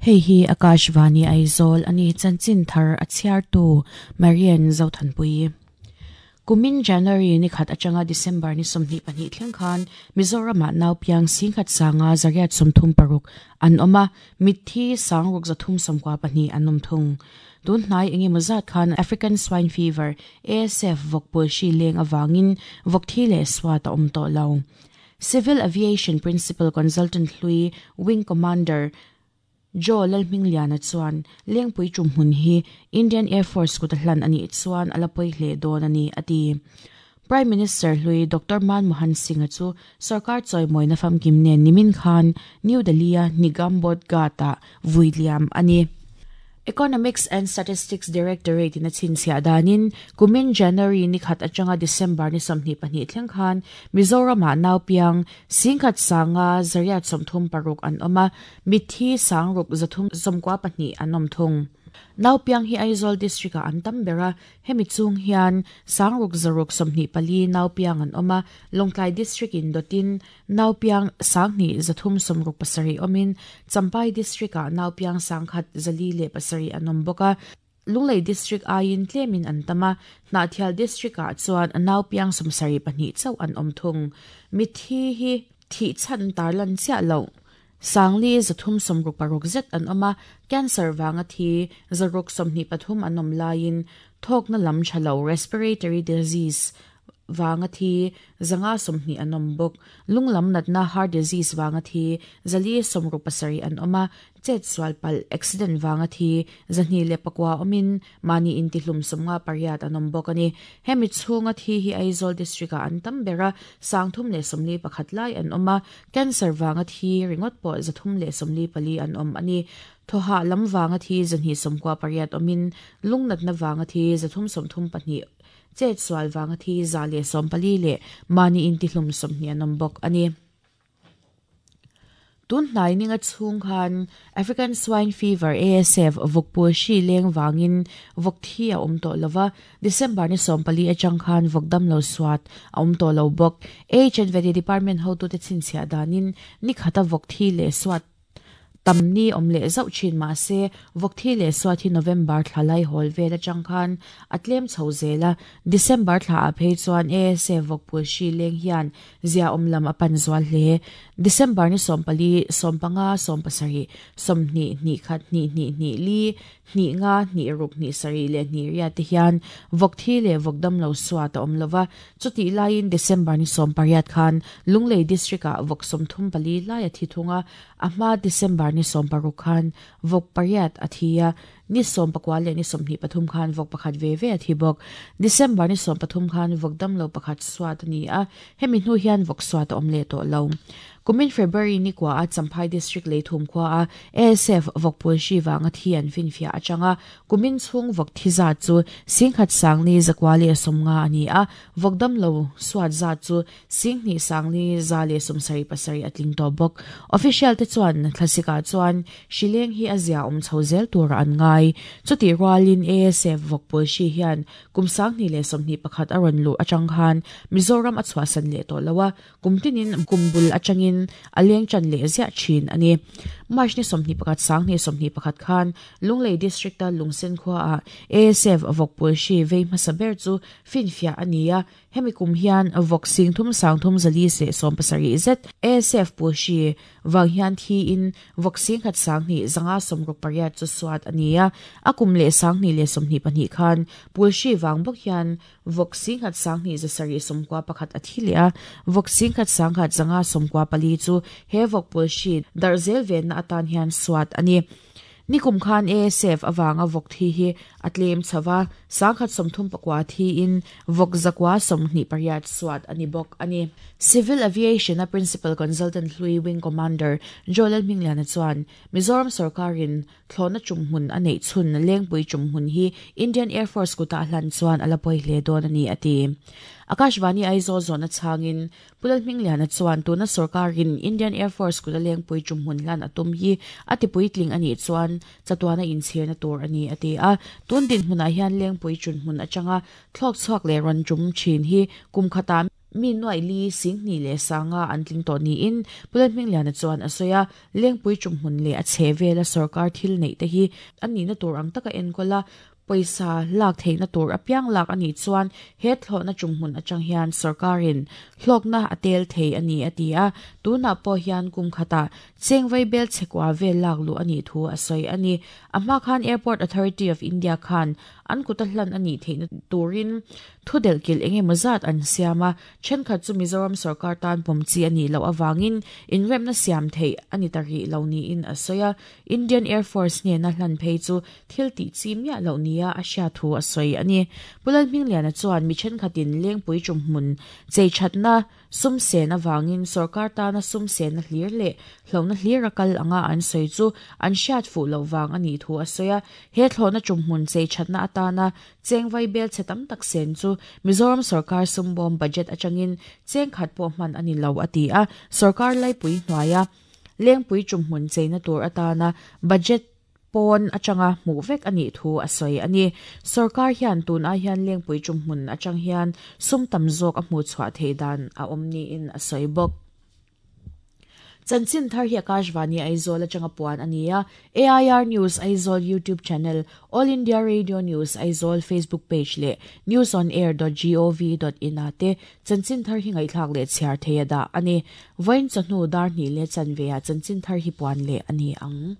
Hei hi Akashvani Aizawl a ni, chanchin thar a chhiartu Marian Zothanpui. Kumin January ni khat atanga December ni 22 thleng khan Mizoramah naupiang singkhat sanga 836 an awm a, mitthi sangruk 394 an awm thung. Tun hnai engemaw zat khan African Swine Fever, ASF, vawkpul hri leng avangin vawk thi leh suat a awm tawh lo. Civil Aviation Principal Consultant hlui Wing Commander Joe Lalhmingliana chuan Lengpui tumhmun hi Indian Air Force kut a hlan a nih chuan a la pawi hle dawn a ni, a ti. Prime Minister hlui Doctor Manmohan Singh-a chu sorkar chawimawina famkim nen nimin khan New Delhi-a Nigam Bodh Ghat-ah vui liam a ni. Economics and Statistics Directorate in a chhinchhiah danin kumin January ni khat atanga December ni 22 thleng khan Mizoramah naupiang singkhat sanga 836 an awm a, mitthi sangruk 392 an awm thung. Naupiang hi Aizawl District-ah an tam ber a, hemi chung hian sangruk zaruk 24 naupiang an awm a, Lawngtlai District in dawtin Naupiang sanghnih 367 awmin Champhai District-ah naupiang sangkhat 407 an awm bawk a, Lunglei District aiin tlemin an tam a, Hnahthial District-ah chuan naupiang 72 chauh an awm thung. Mitthi hi thih chhan tarlan chiah loh. Sangli 366 zet an awm a, cancer vanga thi 623 an awm laiin thawkna lam tha lo respiratory disease vanga thi 520 an awm bawk. Lunglam natna heart disease vanga thi 467 an awm a, chet sual palh accident vanga thi 209 awmin mahni intihlum 58 an awm bawk a ni. Hemi chhunga thi hi Aizawl District-ah an tam ber a, 341 lai an awm a, cancer vanga thi ringawt pawh 344 an awm a ni. Thawhah lam vanga thi 298 awmin lungnatna vanga thi 332 chet sual vanga thi 114 leh mahni intihlum 20 an awm bawk a ni. Tun hnai ninga chhung khan African Swine Fever, ASF, vawkpul hri leng vangin vawk thi a awm tawh lova, December ni 14 atang khan vawk damlo suat a awm tawh lo bawk. H&V Department hotute chhinchhiah danin ni khata vawk thi leh suat tam ni awm leh zauh thin mah se vawk thi leh suat hi November thla lai hawl vel atang khan a tlem chho zel a, December thla ah phei chuan ASF vawkpul hri leng hian zia awm lam a pan zual hle. December ni 14, 15, 17, 20, hnih khat, hnih hnih hnih li, hnih nga, hnih ruk, hnih sarih leh hnih riat te hian vawk thi leh vawk damlo suat a awm lova. Chutih laiin December ni 18 khan Lunglei District-ah vawk 34 lai a thi thung a, a hma December ni 16 khan vawk pariat a thi a, ni 19 leh ni 23 khan vawk pakhat ve ve a thi bawk. December ni 13 khan vawk damlo pakhat suat a ni a, hemi hnu hian vawk suat a awm leh tawh lo. Kumin February ni kua a Champhai District Leithum khua a ASF vawkpul hri vanga thi an finfiah atanga kumin chhung vawk thi zat chu singkhat sangli zakua leh sawmnga a ni a, vawk damlo suat zat chu singhnih sangli za leh 77 a tling tawh bawk. Official te chuan thlasikah chuan hrileng hi a zia awm chho zel tur an ngai. Chutih rualin ASF vawkpul hri hian kum 2021 a rawn luh atang khan Mizoram a chhuahsan leh tawh lo a, kum tinin kum bul atangin a leng tan leh ziah thin a ni. March ni 21 2021 khan Lunglei District-a Lungsen khuaah ASF vawkpul hri vei hmasa ber chu finfiah a ni a, hemi kum hian vawk sing thum sang thum zali leh 70 zet ASF pul hri vang hian thiin vawk sing khat sang hnih zanga 68 chu suat a ni a, a kum leh 2022 khan pul hri vang bawk hian vawk singkhat sanghnih 791 a thi leh a, vawk singkhat sangkhat 594 chu he vawk pul hri darh zel venna atan hian suat a ni. Nikum khan ASF awanga vawk thi hi a tlem chhoa, sangkhat 34 thiin vawk 128 suat a ni bawk a ni. Civil Aviation a Principal Consultant hlui Wing Commander Joel Hmingliana chuan Mizoram sarkarin thlawhna tumhmun a neih chhun Lengpui tumhmun hi Indian Air Force kutah hlan chuan a la pawi hle dawn a ni, a ti. Akashvani Aizawl zawhna chhangin Pu Lalhmingliana chuan tuna sarkarin Indian Air Force kuta Lengpui tumhmun hlan a tum hi a tipuitling a nih chuan chatuana inchhirna tur a ni, a ti a. Tun dinhmunah hian Lengpui tumhmun atanga thlawk chhuak leh rawn tum thin hi kum khatah mi nuaih li 20 leh 50 an tling tawh niin Pu Lalhmingliana chuan a sawi a. Lengpui ṭumhmun leh a chhe vela sorkar thil neih te hi a nihna tur ang taka enkawl a, pawisa lak theihna tur apiang lak a nih chuan he thlawhna ṭumhmun aṭang hian sorkarin hlawkna a tel thei a ni, a ti a. Tunah pawh hian kum khatah cheng vaibel chhekua vel lak luh a nih thu a sawi a ni. A hma khan Airport Authority of India khan an kuta hlan a nih theihna turin thu delhkilh eng emaw zat an siam a, Thenkhat chu Mizoram sorkar tan pawm chi a nih loh avangin inremna siam theih a ni ta rih lo niin a sawi a, Indian Air Force hnena hlan phei chu thil tih chi miah loh nia a hriat thu a sawi a ni. Pu Lalhmingliana chuan mi thenkhatin Lengpui tumhmun cheithatna sum sen avangin sorkar tana sum senna hlir leh hlauhna hlir a kal anga an sawi chu an hriat fuh loh vang a nih thu a sawi a, he thlawhna tumhmun cheithatna atana Cheng vaibel chhe tam tak sen chu Mizoram sorkar sumbawm budget atangin cheng khat pawh hman a ni lo a ti a, sorkar laipui hnuaia Lengpui tumhmun cheina tur atana budget pawn atanga hmuh vek a nih thu a sawi a ni. Sorkar hian tun ai hian Lengpui tumhmun atang hian sum tam zawk a hmuhchhuah theih dan a awm niin a sawi bawk. Chanchin thar hi Akashvani Aizawl atanga puan a ni a, AIR News Aizawl YouTube channel, All India Radio News Aizawl Facebook page leh newsonair dot gov dot in ah te chanchin thar hi ngaihthlak leh chhiar thei a dah a ni. Vawiin chawhnu dar hnih leh chanve ah chanchin thar hi puan leh a ni ang.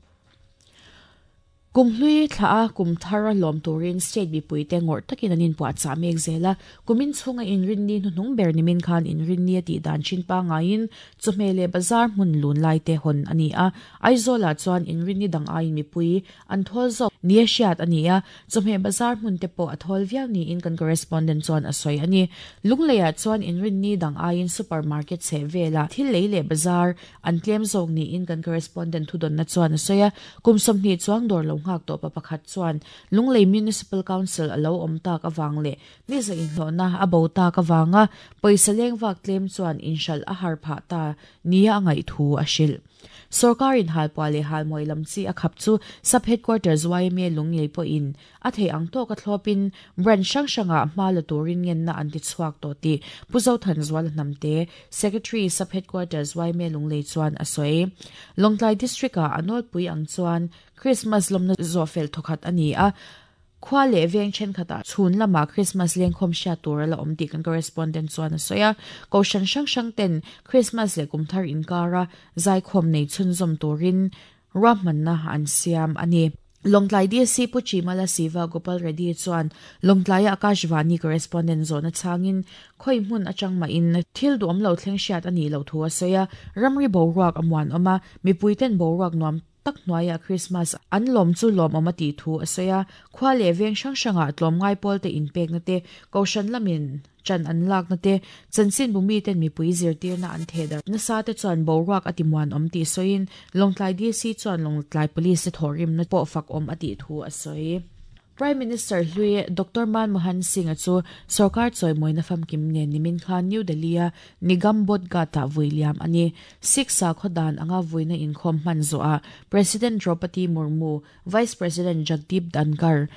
Kum hlui thla a kum thar a lawm turin state mipuite ngawrh takin an inpuahchah mek zel a, kumin chhunga inrinni hnuhnung ber nimin khan inrinni a tih dan thin pangaiin chawhmeh leh bazar hmun lun lai te hawn a ni a. Aizawlah chuan inrinni dang aiin mipui an thawl zawk nia hriat a ni a, chawhmeh bazar hmun te pawh a thawl viau niin kan correspondent chuan a sawi a ni. Lungleiah chuan inrinni dang aiin super market chheh velah thil lei leh bazar An tlem zawk niin kan correspondent thudawnna chuan a sawi a, kum 20 chuang dawr lo nghak tawh pa pakhat chuan Lunglei Municipal Council a lo awm tak avang leh niza inhlawhna a bo tak avanga pawisa leng vak tlem chuan inhralh a har phah ta nia a ngaih thu a hrilh. Sorkarin halpuah leh halmawi lam chi a khap chu Sub Headquarters yma Lunglei pawhin A theih ang tawka thlawpin branch hrang hrangah hma la turin ngenna an ti chhuak tawh tih Pu Zothanzuala Hnamte, Secretary, Sub Headquarters yma Lunglei chuan a sawi. Lawngtlai District-ah a nawlpui ang chuan Christmas lawmna zawhfel thawkhat a ni a, khua leh veng thenkhatah chhun lamah Christmas lengkhawm hriat tur a la awm tih kan correspondent chuan a sawi a. Kohhran hrang hrang ten Christmas leh kumthar inkara zaikhawm nei chhunzawm turin ruahmanna an siam a ni. Lawngtlai DC Pu Chimala Siva Gopal Reddy chuan Lawngtlaia Akashvani correspondent zawhna chhangin khawi hmun atang mahin thil duhawm lo thleng hriat a nih loh thu a sawi a, ramri boruak a muanawm a, mipuiten boruak nuam tak hnuaiah Krismas an lawm chu lawmawm a tih thu a sawi a, khua leh veng hrang hrangah tlawmngai pawlte inpekna te, kohhran lamin Ṭan an lakna te, chanchinbu miten mipui zirtirna an theh darh nasa te chuan boruak a timuanawm tih sawiin Lawngtlai DC chuan Lawngtlai Police te thawhrimna pawh fakawm a tih thu a sawi. Prime Minister hlui Doctor Manmohan Singh-a chu sorkar chawimawina famkim nen nimin khan New Delhi-a Nigam Bodh Ghat-ah vui liam a ni. Sikh sakhaw dan anga vuina inkhawm hman zawhah President Draupadi Murmu, Vice President Jagdeep Dhankhar,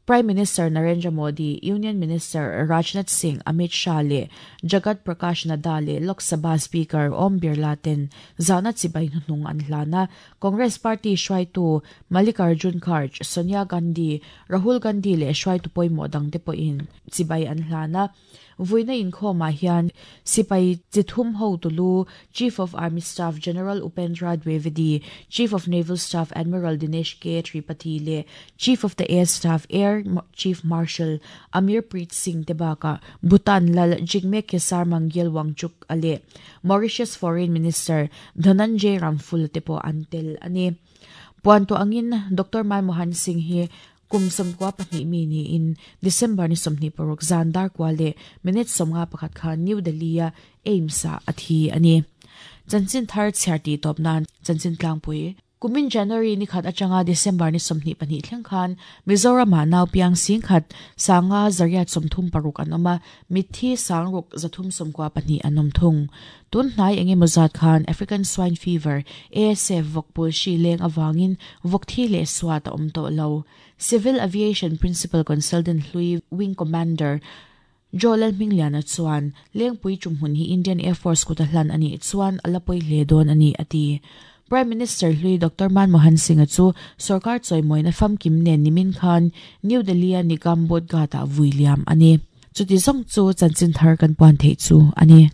Prime Minister Narendra Modi, Union Minister Rajnath Singh, Amit Shah leh Jagat Prakash Nadda leh Lok Sabha Speaker Om Birla ten zahna chibai hnuhnung an hlan a. Congress Party hruaitu Mallikarjun Kharge, Sonia Gandhi, Rahul Gandhi leh hruaitu pawimawh dangte pawhin chibai an hlan a. Vuina inkhawmah hian sipai chi thum hotu lu Chief of Army Staff General Upendra Dwivedi, Chief of Naval Staff Admiral Dinesh K Tripathi leh Chief of the Air Staff Air Chief Marshal Amir Preet Singh te bakah Bhutan lal Jigme Khesar Mangyal Wangchuk a leh Mauritius Foreign Minister Dhananjay Ramful te pawh an tel a ni. Puan tuah angin Doctor Manmohan Singh hi Kum 92 mi niin December ni 26 zan darkua leh minute 51 khan New Delhi-a AIIMS-ah a thi a ni. Chanchin thar chhiar tih tawp nan chanchin tlangpui. Kumin January ni khat atanga December ni 22 thleng khan Mizoram-ah nau piang singkhat sanga zariat 36 an awm a, mitthi sangruk 394 an awm thung. Tun hnai eng emaw zat khan African Swine Fever, ASF, vawkpul hri leng avangin vawk thi leh suat a awm tawh lo. Civil Aviation Principal Consultant hlui Wing Commander. Joe Lalhmingliana chuan, Lengpui tumhmun hi Indian Air Force kuta hlan a nih chuan a la pawi hle dawn a ni, a ti. Prime Minister hlui Doctor Manmohan Singh-a chu sorkar chawimawina famkim nen nimin khan New Delhi-a Nigam Bodh Ghat-ah vui liam a ni. Chuti zawng chu chanchin thar kan puan theih chu a ni.